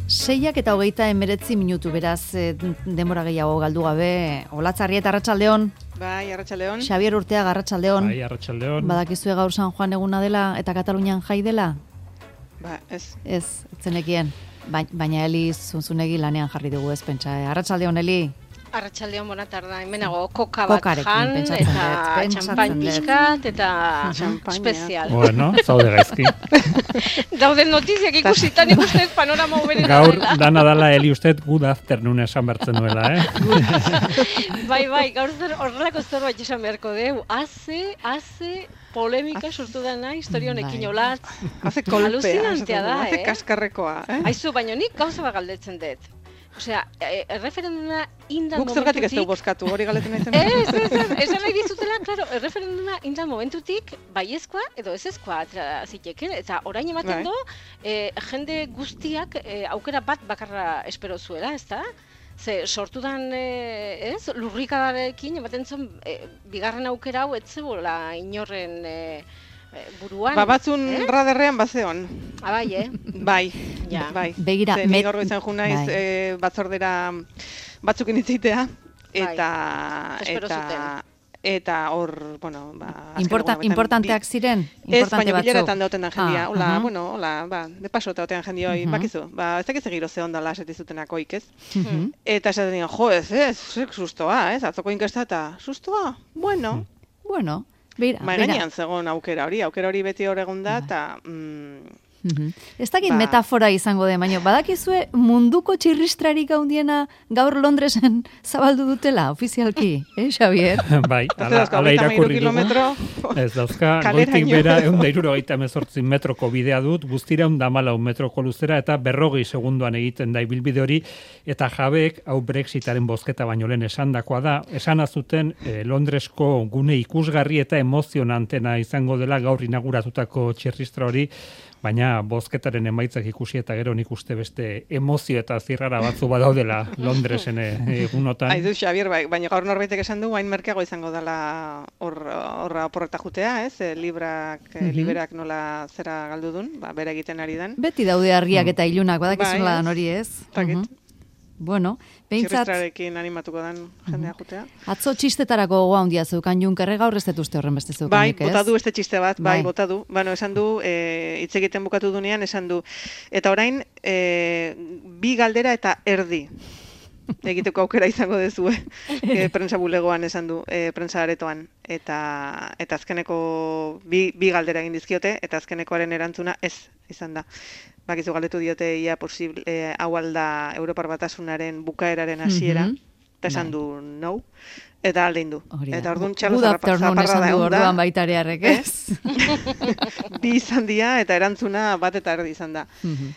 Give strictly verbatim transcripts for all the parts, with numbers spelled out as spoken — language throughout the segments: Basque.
Seiak eta hogeita emeretzi minutu, beraz, e, denbora gehiago galdu gabe. Olatzarrieta, arratsaldeon. Bai, arratsaldeon. Xabier Urteaga, arratsaldeon. Bai, arratsaldeon. Badakizue gaur San Juan eguna dela eta Katalunian jai dela? Ba, ez. Ez, zenekien. Ba, baina Eli zunzunegi lanean jarri dugu ez pentsa. Arratsaldeon, Eli. Arratsaldeon, bona tarda. Hemenago koka bat Kokarekin, jan, pentsatzen eta dut, pentsatzen txampain dut. pixkat, eta Txampaina. espezial. Bueno, zaude gaizki. Dauden notiziak ikusita nik uste panorama uberen Gaur dela. dana dala Eli usted good afternoon esan bertzen duela, eh? Bai, bai, gaur zer horrelako zerbait esan beharko deu. Haze, haze polemika sortu dana historia honekin Bai. olatz. Hace kolpea. Aluzinantea da, Hace eh? kaskarrekoa, eh? Aizu, baino nik gauza bat galdetzen dut. Osea, e, erreferenduma indan Guk zergatik ez dugu momentutik... bozkatu, hori galetzen nahi zen. Ez, ez, ez, esan nahi dizutela, klaro, erreferenduma indan momentutik baiezkoa edo ezezkoa atera ziteken, eta orain ematen Bai. do, e, jende guztiak e, aukera bat bakarra espero zuela, ezta? Ze sortudan, e, ez, lurrikadarekin ematen zuen, e, bigarren aukera hau ez zebola inorren e, e, buruan. Ba, batzun eh? raderrean bazeon. Abai, eh? Bai, Ja. bai. Begira, Ze ni met- gaur izan ju naiz bai. eh, batzordera batzukin itzitea, eta... Espero eta zuten. Eta hor, bueno, ba... azken Importa, egunetan importanteak bi- ziren? Ez, Importante baina batzuk? bileretan dauten da jendia. Ah, Hola, aha. bueno, hola, ba, de paso eta otean jendioi, Mhm. bakizu. Ba, ez dakiz egiro ze ondala esetizutenakoik, ez? Mhm. Eta esaten digan, jo, ez, ez, zek sustoa, ez? Atzoko inkesta eta, sustoa? Bueno, Bueno, beira, mai beira. gainean zegoen aukera hori, aukera hori beti hor egon da, eta... Mm, Mhm. Ez dakit Ba- metafora izango de, baina badakizue munduko txirristrarik handiena gaur Londresen zabaldu dutela, ofizialki, eh, Xavier? Bai, ez ala, dauzka, ala hogeita hamairu irakurri dugu. kilometro, Ez dauzka, Kaleraino. goitik bera ehun eta hirurogeita hemezortzi metroko bidea dut, guztira ehun eta hamalau metroko luzera eta berrogei segunduan egiten da ibilbide hori, eta jabeek hau Brexitaren bozketa baino lehen esandakoa da, esan azuten eh, Londresko gune ikusgarri eta emozionantena izango dela gaur inauguratutako txirristra hori, baina bozketaren emaitzak ikusi eta gero nik uste beste emozio eta zirrara batzu badaudela Londresen eh, egunotan. Aizu, Xabier, bai, baina gaur norbaitek esan du, hain merkeago izango dela hor horra oporreta jutea, ez? E, librak, e, Mhm. liberak nola zera galdu dun, ba, bera egiten ari den. Beti daude argiak eta ilunak, badakizula Bai, dan ez? hori ez? Dakit. Mhm. Bueno, behintzat, Txirristrarekin animatuko den jendea jutea. atzo txistetarako gogoa handia zeukan Junkerre, gaur ez dut uste horren beste Bai, zeukanik, ez? bota du beste txiste bat, bai, Bai. bota du. Bueno, esan du, e, hitz egiten bukatu dunean, esan du. Eta orain, e, bi galdera eta erdi. Egiteko aukera izango dezue. E, prensa bulegoan esan du, e, prensa aretoan. Eta, eta azkeneko bi, bi galdera egin dizkiote, eta azkenekoaren erantzuna ez izan da. Bakizu galdetu diote ia posible, e, hau alda Europar Batasunaren bukaeraren hasiera, Mhm. eta esan Bai. du no, eta aldein du. Hori da. Eta orduan txalo Good zarrapa- afternoon zaparrada esan du egon da. orduan baitarearrek, ez? Bi izan dira eta erantzuna bat eta erdi izan da. Mhm.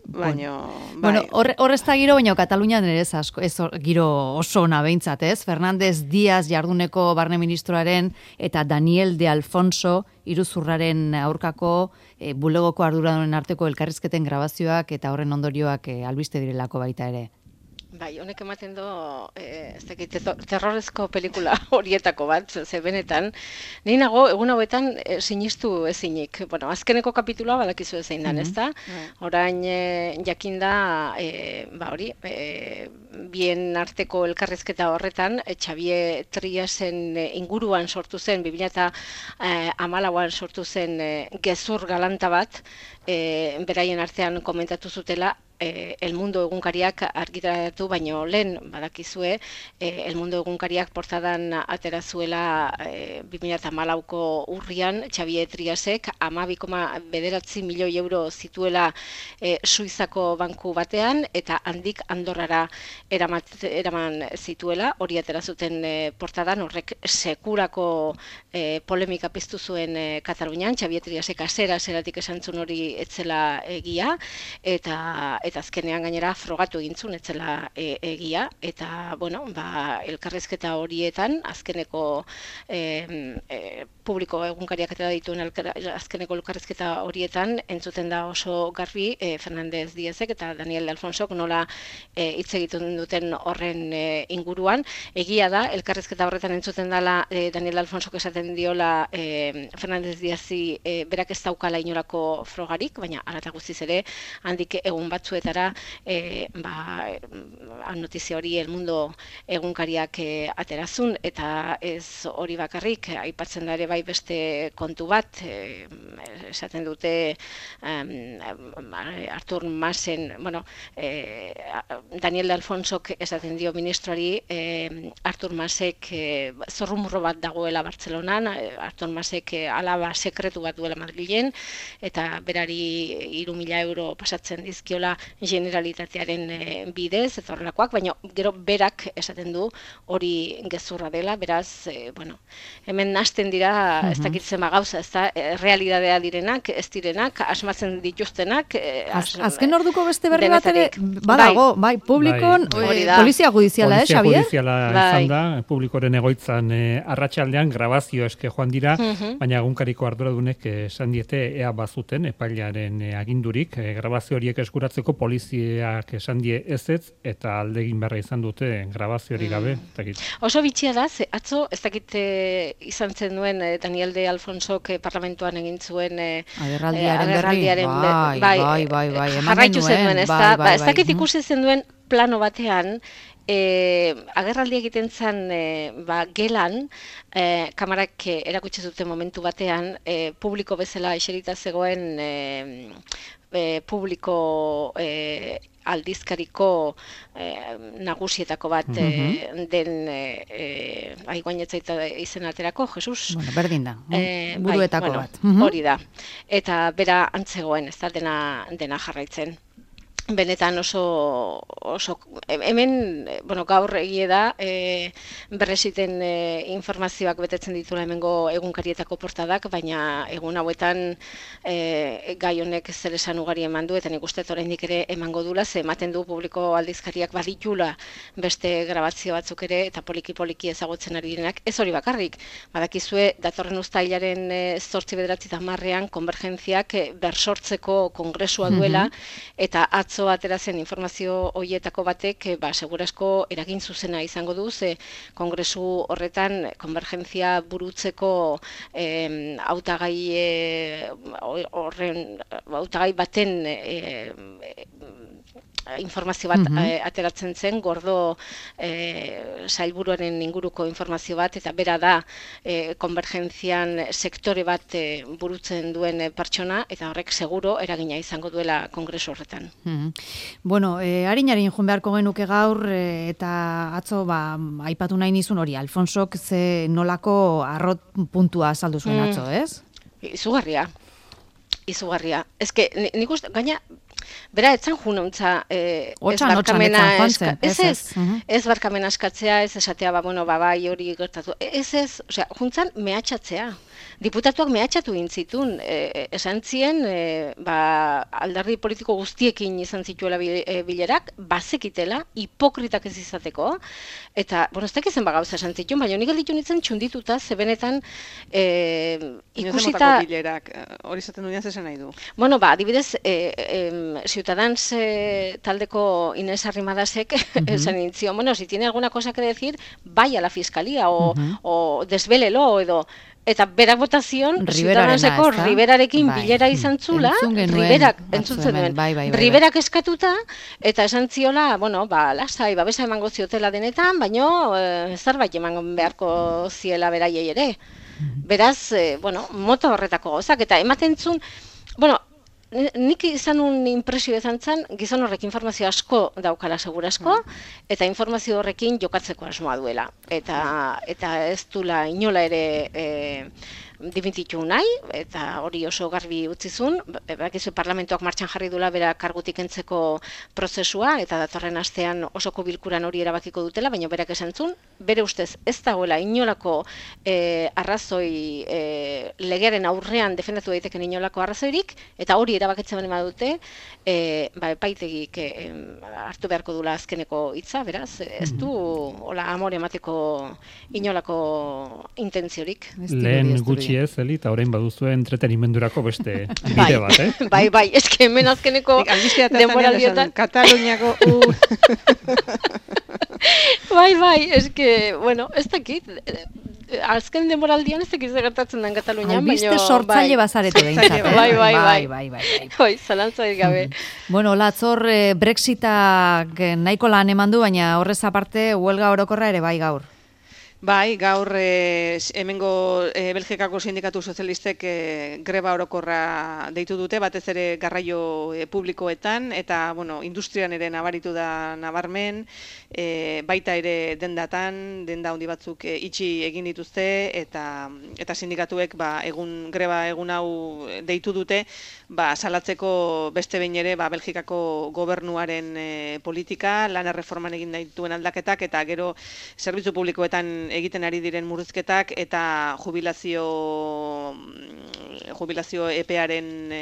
Baino, Bueno, bai. hor, hor ez da giro, baina Katalunian ere ez asko, ez hor- giro oso ona behintzat, ez? Fernández Díaz jarduneko barne ministroaren eta Daniel de Alfonso iruzurraren aurkako e, bulegoko arduradunen arteko elkarrizketen grabazioak eta horren ondorioak e, albiste direlako baita ere. Bai, honek ematen do, eh, ez dakit, terro- terrorezko pelikula horietako bat, ze benetan, nahi nago, egun hauetan eh, sinistu ezinik. Bueno, azkeneko kapituloa badakizu zein dan, Mhm. ezta? Orain eh, jakinda, eh, ba hori, eh, bien arteko elkarrizketa horretan, eh, Xavier Triasen eh, inguruan sortu zen, bi mila hamalauan sortu zen eh, gezur galanta bat, eh, beraien artean komentatu zutela, eh, El Mundo egunkariak argitaratu baino lehen badakizue, eh, El Mundo egunkariak portadan atera zuela eh, bi mila hamalauko urrian Xavier Triasek hamabi koma bederatzi milioi euro zituela eh, Suizako banku batean eta handik Andorrara eramat, eraman zituela, hori atera zuten eh, portadan, horrek sekurako eh, polemika piztu zuen eh, Katalunian, Xavier Triasek azera zeratik esan zuen hori etzela egia, eta eta azkenean gainera frogatu egin zuen etzela e, egia, eta bueno, ba, elkarrizketa horietan azkeneko e, e, publiko egunkariak eta dituen elkar, azkeneko elkarrizketa horietan entzuten da oso garbi e, Fernández Díazek eta Daniel de Alfonsok nola e, hitz egiten duten horren e, inguruan. Egia da, elkarrizketa horretan entzuten dela e, Daniel de Alfonsok esaten diola e, Fernández Díazi e, berak ez daukala inolako frogarik, baina hala eta guztiz ere handik egun batzuetan batzuetara e, ba, notizia hori El Mundo egunkariak e, aterazun, eta ez hori bakarrik, aipatzen da ere bai beste kontu bat, e, esaten dute um, Artur Masen, bueno, e, Daniel de Alfonsok esaten dio ministroari, e, Artur Masek e, zorrumurro bat dagoela Bartzelonan, Artur Masek e, alaba sekretu bat duela Madrilen, eta berari hiru mila euro pasatzen dizkiola generalitatearen e, bidez, eta horrelakoak, baina gero berak esaten du hori gezurra dela, beraz, e, bueno, hemen nasten dira, uh-huh. ez dakitzen ba gauza, ez da, e, realidadea direnak, ez direnak, asmatzen dituztenak. E, Az, azken orduko beste berri bat ere, badago, bai, bai publikon, bai. E, polizia judiziala, eh, Xabier? Polizia judiziala bai. izan da, publikoren egoitzan e, arratsaldean grabazio eske joan dira, uh-huh. baina egunkariko arduradunek esan diete ea bazuten epailaren e, agindurik, e, grabazio horiek eskuratzeko poliziak esan die ezetz, eta aldegin berra izan dute grabazio hori gabe. Mm. Oso bitxia da, ze atzo, ez dakit e, izan zen duen e, Daniel de Alfonsok e, parlamentuan egin zuen e, agerraldiaren, e, agerraldiaren bai, bai, bai, bai, bai, jarraitu zen duen, ez da, bai, ez dakit ikusi zen duen plano batean, E, agerraldi egiten zen e, ba, gelan, e, kamarak e, erakutsi zuten momentu batean, e, publiko bezala eserita zegoen e, e, publiko e, aldizkariko e, nagusietako bat mm-hmm. e, den e, aiguanetzaita izen aterako, Jesus? Bueno, berdin da, e, buruetako bai, bat. Bueno, hori da. Eta bera antzegoen, ez da, dena, dena jarraitzen. Benetan oso, oso hemen, bueno, gaur egie da, e, berresiten e, informazioak betetzen ditula hemengo egunkarietako portadak, baina egun hauetan e, gai honek zer esan ugari eman du, eta nik uste oraindik ere emango dula, ze ematen du publiko aldizkariak baditula beste grabazio batzuk ere, eta poliki-poliki ezagutzen ari direnak, ez hori bakarrik. Badakizue, datorren uztailaren e, zortzi bederatzi eta hamarrean konvergentziak e, bersortzeko kongresua duela, mm-hmm. eta atzo atera zen informazio horietako batek, ba, segurasko eragin zuzena izango du, ze kongresu horretan konvergentzia burutzeko eh, hautagai eh, horren hautagai baten eh, informazio bat mm-hmm. eh, ateratzen zen, gordo eh, sailburuaren inguruko informazio bat, eta bera da eh, konvergentzian sektore bat eh, burutzen duen eh, pertsona, eta horrek seguro eragina izango duela kongresu horretan. Mm-hmm. Bueno, eh, harin-harin joan beharko genuke gaur, eh, eta atzo, ba, aipatu nahi nizun hori, Alfonsok ze nolako arrot puntua azaldu zuen mm. atzo, ez? Izugarria. Izugarria. Ez que, nik uste, gaina, bera, etzan jununtza, eh, ez barkamena eska, ez ez, uh-huh. ez barkamena eskatzea, ez esatea, ba, bueno, ba, bai hori gertatu, ez ez, osea, juntzan mehatxatzea. Diputatuak mehatxatu intzitun, e, esan zien, e, ba, alderdi politiko guztiekin izan zituela bilerak, bazekitela, hipokritak ez izateko, eta, bueno, ez dakizen bagauza esan zituen, baina nik alditu nintzen txundituta, zebenetan e, ikusita... bilerak, hori zaten duenean zesan nahi du? Bueno, ba, adibidez, e, e, Ciutadans e, taldeko Inés Arrimadasek uh-huh. esan nintzen, bueno, si tiene alguna cosa que decir, vaya a la fiscalía, o, uh-huh. o desvelelo, edo... Eta berak botazion, Ciutadanseko Riberarekin bai. bilera izan zula, Riberak, entzutzen duen, bai, bai, bai, Riberak eskatuta, eta esan ziola, bueno, ba, lasai, babesa emango ziotela denetan, baino, e, zerbait emango beharko ziela beraiei ere. Beraz, e, bueno, mota horretako gozak, eta ematen zuen, bueno, nik izan un impresio izan zen, gizon horrek informazio asko daukala segurasko, eta informazio horrekin jokatzeko asmoa duela. Eta, eta ez dula inola ere e, dimititu nahi, eta hori oso garbi utzizun, bakizu parlamentoak martxan jarri dula bera kargutik entzeko prozesua, eta datorren astean osoko bilkuran hori erabakiko dutela, baina berak esan zuen, bere ustez ez dagoela inolako e, arrazoi e, legearen aurrean defendatu daiteken inolako arrazoirik, eta hori erabakitzen bane badute, e, ba, epaitegik e, hartu beharko dula azkeneko hitza, beraz, ez du hola amore emateko inolako intentziorik. Lehen gutxi ez, Eli, eta orain baduzu entretenimendurako beste bide bat, eh? Bai, bai, eske hemen azkeneko denboraldiotan Kataluniako u... Bai, bai, eske, bueno, ez dakit, azken demoraldian ez ekiz gertatzen den Katalunian, baina... Albiste sortzaile bazarete behintzat, eh? Bai, bai, bai, bai, bai. Bai, zalantzarik gabe. Bueno, latzor Brexitak nahiko lan eman du, baina horrez aparte huelga orokorra ere bai gaur. Bai, gaur e, hemengo e, Belgikako sindikatu sozialistek e, greba orokorra deitu dute, batez ere garraio e, publikoetan, eta bueno, industrian ere nabaritu da nabarmen, e, baita ere dendatan, denda handi batzuk e, itxi egin dituzte, eta eta sindikatuek ba, egun greba egun hau deitu dute, ba, salatzeko beste behin ere ba, Belgikako gobernuaren e, politika, lan erreforman egin dituen aldaketak, eta gero zerbitzu publikoetan egiten ari diren murrizketak eta jubilazio jubilazio epearen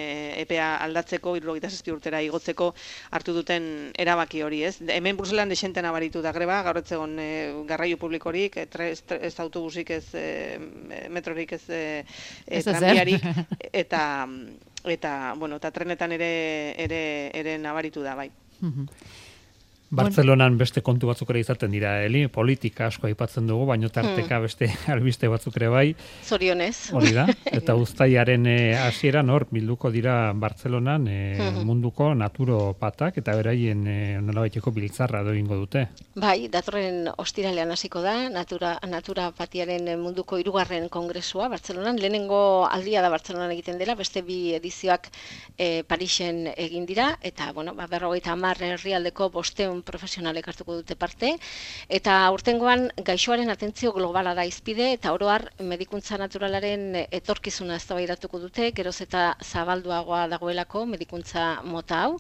epea aldatzeko hirurogeita zazpi urtera igotzeko hartu duten erabaki hori, ez? Hemen Bruselan dexente nabaritu da greba, gaur ez egon e, garraio publikorik, ez, ez autobusik, ez e, metrorik, ez, e, ez tranbiarik, eta eta bueno, eta trenetan ere ere ere nabaritu da, bai. Bartzelonan beste kontu batzuk ere izaten dira, Eli, politika asko aipatzen dugu, baino tarteka beste albiste batzuk ere bai. Zorionez. Hori da, eta uztailaren hasieran hor bilduko dira Bartzelonan e, munduko naturopatak eta beraien e, nolabaiteko biltzarra egingo dute. Bai, datorren ostiralean hasiko da, natura, naturapatiaren munduko hirugarren kongresua Bartzelonan, lehenengo aldia da Bartzelonan egiten dela, beste bi edizioak e, Parisen egin dira, eta bueno, ba, berrogeita hamar herrialdeko bosteun profesionalek hartuko dute parte, eta urtengoan gaixoaren atentzio globala da izpide, eta oro har medikuntza naturalaren etorkizuna eztabaidatuko dute, geroz eta zabalduagoa dagoelako medikuntza mota hau.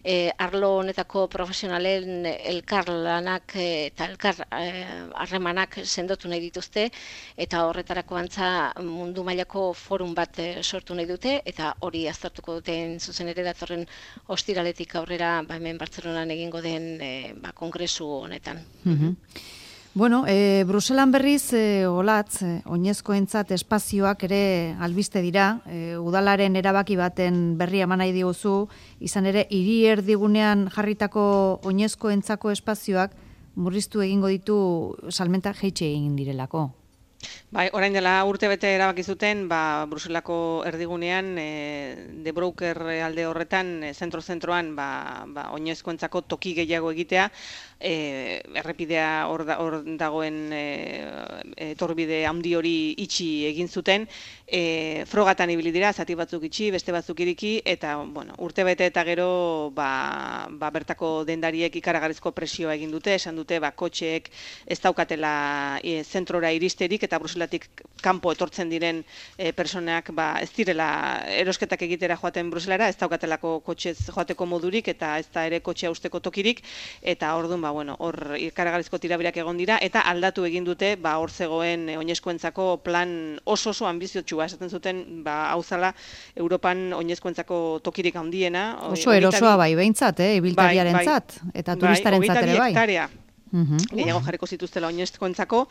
E, arlo honetako profesionalen elkar lanak eta elkar harremanak e, sendotu nahi dituzte, eta horretarako antza mundu mailako forum bat e, sortu nahi dute, eta hori aztertuko duten zuzen ere datorren ostiraletik aurrera ba, hemen Bartzelonan egingo den E, ba, kongresu honetan. Mm-hmm. Bueno, e, Bruselan berriz, e, olatz, e, oinezkoentzat espazioak ere albiste dira, e, udalaren erabaki baten berri eman nahi diguzu, izan ere, hiri erdigunean jarritako oinezkoentzako espazioak murriztu egingo ditu salmenta jaitsi egin direlako. Bai, orain dela urte bete erabaki zuten, ba, Bruselako erdigunean, e, De Broker alde horretan, e, zentro-zentroan, ba, ba, oinezkoentzako toki gehiago egitea, e, errepidea hor da, dagoen e, etorbide handi hori itxi egin zuten, e, frogatan ibili dira, zati batzuk itxi, beste batzuk iriki, eta bueno, urte bete eta gero ba, ba, bertako dendariek ikaragarrizko presioa egin dute, esan dute ba, kotxeek ez daukatela e, zentrora iristerik, eta Bruselatik kanpo etortzen diren e, personak ba, ez direla erosketak egitera joaten Bruselara, ez daukatelako kotxez joateko modurik, eta ez da ere kotxea usteko tokirik, eta orduan ba, bueno, hor ikaragarrizko tirabirak egon dira, eta aldatu egin dute ba, hor zegoen e, oinezkoentzako plan oso oso ambiziotsua, esaten zuten ba, hau zala Europan oinezkoentzako tokirik handiena. Oso erosoa bai, behintzat, eh, ibiltariarentzat, bai, bai, eta turistarentzat ere bai. Hektarea. Gehiago jarriko zituztela oinezkoentzako,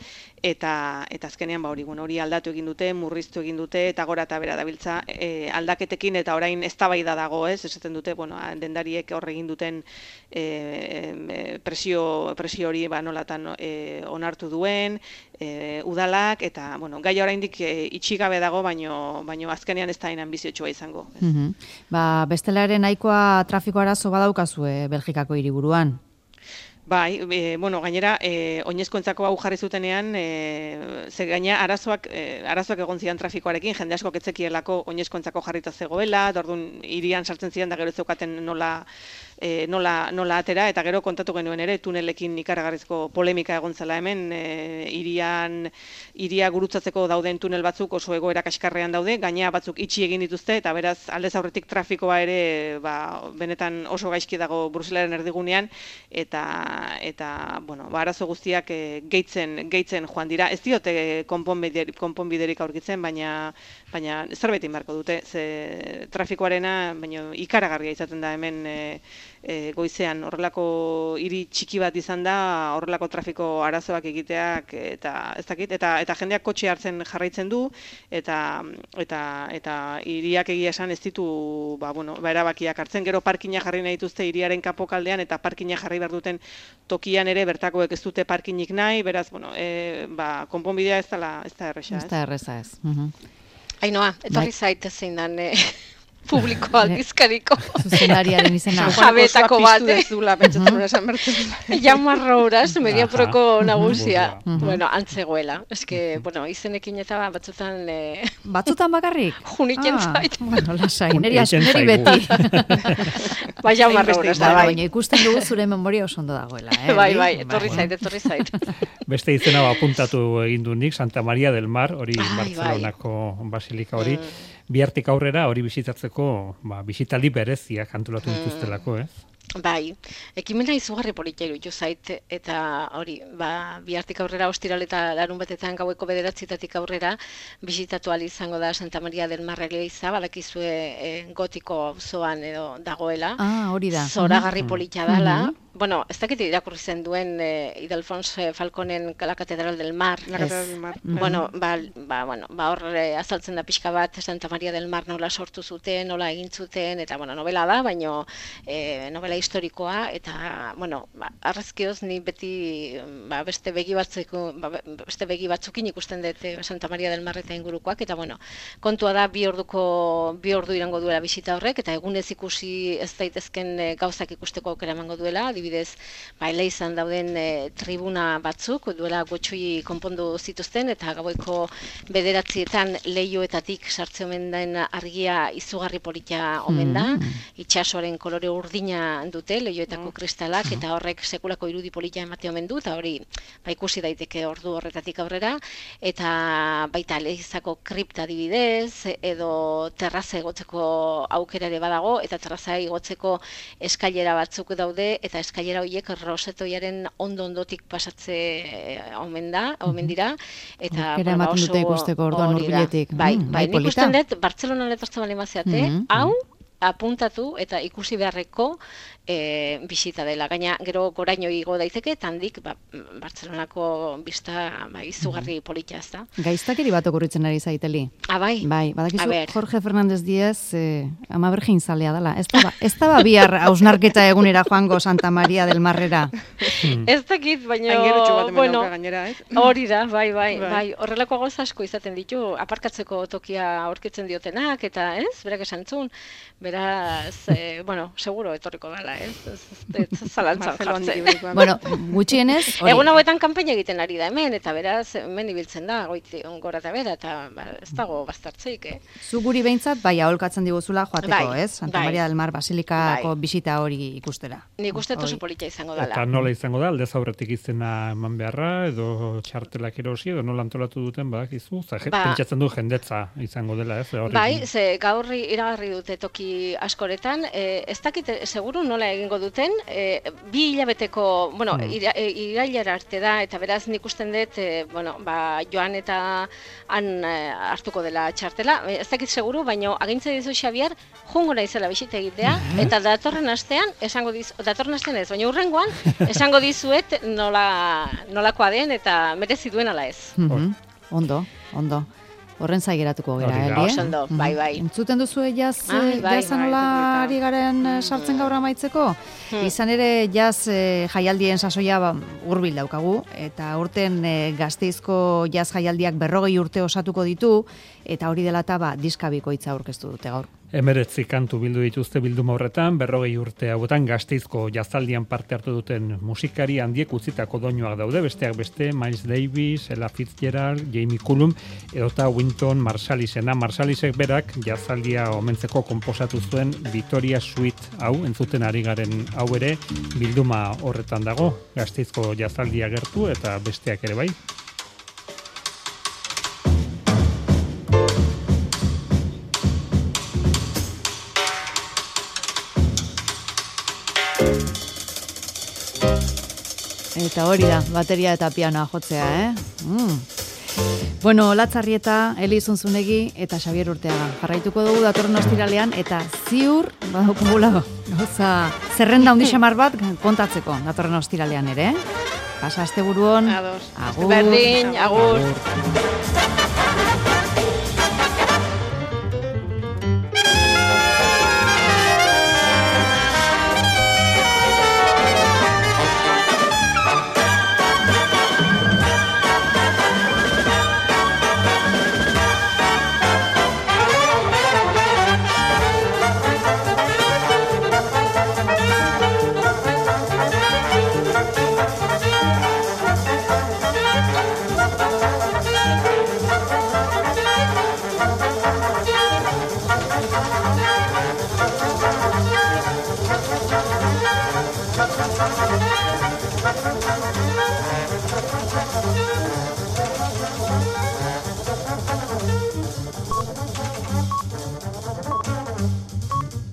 eta eta azkenean ba hori, bueno, hori aldatu egin dute, murriztu egin dute, eta gora eta bera dabiltza e, aldaketekin, eta orain eztabaida dago, ez, esaten dute, bueno, dendariek hor egin duten e, e, presio, presio hori ba, nolatan e, onartu duen, e, udalak, eta, bueno, gai oraindik e, itxigabe dago, baino, baino azkenean ez da hain ambiziotsua izango. Mm-hmm. Ba, bestela ere nahikoa trafiko arazo badaukazue Belgikako hiriburuan. Bai, e, bueno, gainera, e, oinezkoentzako hau jarri zutenean, e, ze gaina arazoak, e, arazoak egon zidan trafikoarekin, jende asko ketzekielako oinezkoentzako jarrita zegoela, orduan hirian sartzen zidan da gero zeukaten nola, e, nola, nola atera, eta gero kontatu genuen ere, tunelekin ikaragarrizko polemika egon zela hemen, e, hirian, hiria gurutzatzeko dauden tunel batzuk oso egoera kaskarrean daude, gaina batzuk itxi egin dituzte, eta beraz, aldez aurretik trafikoa ere, ba, benetan oso gaizki dago Bruselaren erdigunean, eta eta bueno, ba, arazo guztiak e, gehitzen, gehitzen joan dira. Ez diote konponbiderik, konponbiderik aurkitzen, baina baina zerbait inbarko dute, ze trafikoarena, baina ikaragarria izaten da hemen e, e, goizean horrelako hiri txiki bat izan da, horrelako trafiko arazoak egiteak eta ez dakit, eta eta jendeak kotxe hartzen jarraitzen du eta eta eta hiriak egia esan ez ditu ba bueno, ba erabakiak hartzen, gero parkina jarri nahi dituzte hiriaren kapokaldean eta parkina jarri behar duten tokian ere bertakoek ez dute parkinik nahi, beraz bueno, e, ba konponbidea ez da ez da erresa, ez. Ez da erresa ez. Mhm. Ainoa, etorri zait zein dan eh, publiko aldizkariko. Zuzenariaren izena. Jabetako bat. Piztu ez dula, pentsatzen hori esan bertzen. Jamarro uraz, mediaproko nagusia. Mhm. Bueno, antzegoela. Ez que, bueno, izenekin eta batzutan... Eh, Batzutan bakarrik? Juniken zait. Bueno, lasai, neri Egiten neri zaigu. Bai, Jamarro uraz da, bai. Baina ikusten dugu zure memoria oso ondo dagoela. Eh, Bai, bai, etorri zait, etorri zait. Beste izena apuntatu egin du nik, Santa Maria del Mar, hori Ai, Barcelonako basilika hori. Bihartik aurrera hori bisitatzeko, ba, bisitaldi bereziak antolatu dituztelako, ez? Bai, ekimena izugarri politia iruditu zait, eta hori, ba, bihartik aurrera ostiral eta larun batetan gaueko bederatzitatik aurrera bisitatu ahal izango da Santa Maria del Mar eliza, badakizue e, gotiko auzoan edo dagoela. Ah, hori da. Zoragarri politia dala. Bueno, ez dakit irakurri zen duen eh, Idalfons Falconen La Catedral del Mar. La Catedral del Mar. Bueno, ba, ba, bueno, ba hor eh, azaltzen da pixka bat Santa Maria del Mar nola sortu zuten, nola egin zuten, eta bueno, novela da, baino eh, novela historikoa, eta bueno, ba, arrazkioz ni beti ba, beste begi batzuk, ba, beste begi batzukin ikusten dut eh, Santa Maria del Mar eta ingurukoak, eta bueno, kontua da bi orduko bi ordu irango duela bisita horrek, eta egunez ikusi ez daitezken eh, gauzak ikusteko aukera emango duela, adibidez, ba, Eleizan dauden e, tribuna batzuk, duela gotxoi konpondu zituzten, eta gaueko bederatzietan leioetatik sartze omen den argia izugarri politia omen da, itxasoaren kolore urdina dute, leioetako kristalak, eta horrek sekulako irudi politia emate omen du, eta hori ba, ikusi daiteke ordu horretatik aurrera, eta baita Eleizako kripta adibidez, edo terraza egotzeko aukera ere badago, eta terraza igotzeko eskailera batzuk daude, eta eskailera horiek rosetoiaren ondo-ondotik pasatze omen da, omen dira, eta Aukera ematen dute ikusteko orduan hori da. hurbiletik. Bai, Mm, bai, bai, nik polita. usten dut, Bartzelonan etortzen bali maziate, Mhm. hau apuntatu eta ikusi beharreko e, bisita dela. Gaina gero goraino igo daiteke, eta handik ba, Bartzelonako bista ba, izugarri politia ez da. Gaiztakeri bat okurritzen ari zaiteli. Ah, bai? Bai, A badakizu ber. Jorge Fernández Díez eh, ama bergin zalea dela. Ez da, ba, ez da ba bihar hausnarketa egunera joango Santa Maria del Marrera. Ez dakit, baina, Aingerutxu bat hemen bueno, dauka gainera, ez? hori da, bai, bai, Bai. bai, horrelako gauza asko izaten ditu, aparkatzeko tokia aurkitzen diotenak, eta ez, berak esan zuen, beraz, eh, bueno, seguro etorriko dela, ez, ez, ez, ez zalantzan Barcelona jartzen. ibilikoa. Bueno, gutxienez, hori. Egun hauetan kanpaina egiten ari da hemen, eta beraz, hemen ibiltzen da, goiti gora eta bera, eta ba, ez dago bastartzeik, eh? Zu guri behintzat, bai, aholkatzen diguzula joateko, Bai, ez? Santa bai. Maria del Mar Basilikako Bai. bisita hori ikustera. Nik uste oso Hori. politia izango Eta dela. nola izango da, aldez aurretik izena eman beharra, edo txartelak erosi, edo nola antolatu duten, badakizu, za, je- Ba. pentsatzen du jendetza izango dela, ez? Hori- Bai, ze gaur iragarri dute toki askoretan, e, ez dakit e, seguru nola egingo duten, e, bi hilabeteko, bueno, Hmm. ira, e, irailara arte da, eta beraz nik usten dut, e, bueno, ba, joan eta han e, hartuko dela txartela, e, ez dakit seguru, baina agintze dizu Xabier, jungo naizela bisita egitea, eta datorren astean, esango diz, datorren astean ez, baina hurrengoan, esango dizuet nola, nolakoa den, eta merezi duen ala ez. Mhm. Ondo, ondo. Horren zaigeratuko gera, Hori da. Eli, eh? Oso ondo, Mhm. bai, bai. Entzuten duzue jaz, Ai, eh, bai, jazan bai, nola publika. ari garen eh, sartzen gaur amaitzeko? Izan ere jaz eh, jaialdien sasoia ba, hurbil daukagu, eta urten eh, Gasteizko jaz jaialdiak berrogei urte osatuko ditu, eta hori dela eta ba, diska bikoitza aurkeztu dute gaur. Emeretzi kantu bildu dituzte bilduma horretan, berrogei urte hauetan Gasteizko jazaldian parte hartu duten musikari handiek utzitako doinuak daude, besteak beste, Miles Davis, Ella Fitzgerald, Jamie Cullum, edota Wynton Marsalisena. Marsalisek berak jazaldia omentzeko konposatu zuen Victoria Suite hau, entzuten ari garen hau ere, bilduma horretan dago, Gasteizko jazaldia gertu eta besteak ere bai. Eta hori da, bateria eta pianoa jotzea, eh? Mm. Bueno, Latzarrieta, Eli Zunzunegi eta Xabier Urteaga. Jarraituko dugu datorren ostiralean eta ziur badukugula gauza zerrenda handi xamar bat kontatzeko datorren ostiralean ere. Pasa asteburuan. Ados. Agur. Berdin, agur. Agur.